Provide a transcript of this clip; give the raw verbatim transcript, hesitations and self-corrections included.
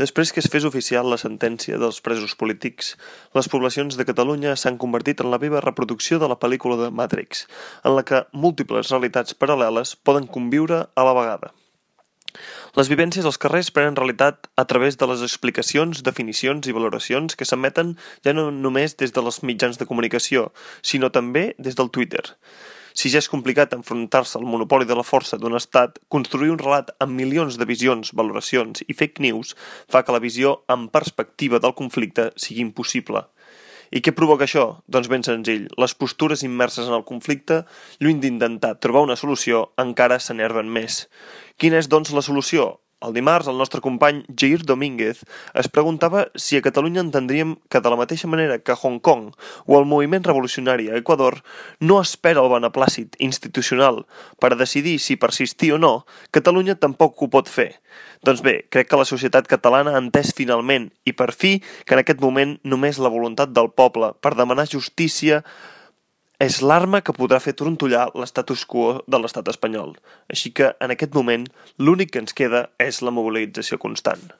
Després que es fes oficial la sentència dels presos polítics, les poblacions de Catalunya s'han convertit en la viva reproducció de la pel·lícula de Matrix, en la que múltiples realitats paral·leles poden conviure a la vegada. Les vivències als carrers prenen realitat a través de les explicacions, definicions i valoracions que s'emeten ja no només des dels mitjans de comunicació, sinó també des del Twitter. Si ja és complicat enfrontar-se al monopoli de la força d'un estat, construir un relat amb milions de visions, valoracions i fake news fa que la visió en perspectiva del conflicte sigui impossible. I què provoca això? Doncs ben senzill, les postures immerses en el conflicte, lluny d'intentar trobar una solució, encara s'enerven més. Quina és, doncs, la solució? El dimarts, el nostre company Jair Domínguez es preguntava si a Catalunya entendríem que de la mateixa manera que Hong Kong o el moviment revolucionari a Equador no espera el beneplàcit institucional per a decidir si persistir o no, Catalunya tampoc ho pot fer. Doncs bé, crec que la societat catalana ha entès finalment i per fi que en aquest moment només la voluntat del poble per demanar justícia és l'arma que podrà fer trontollar l'estatus quo de l'estat espanyol. Així que, en aquest moment, l'únic que ens queda és la mobilització constant.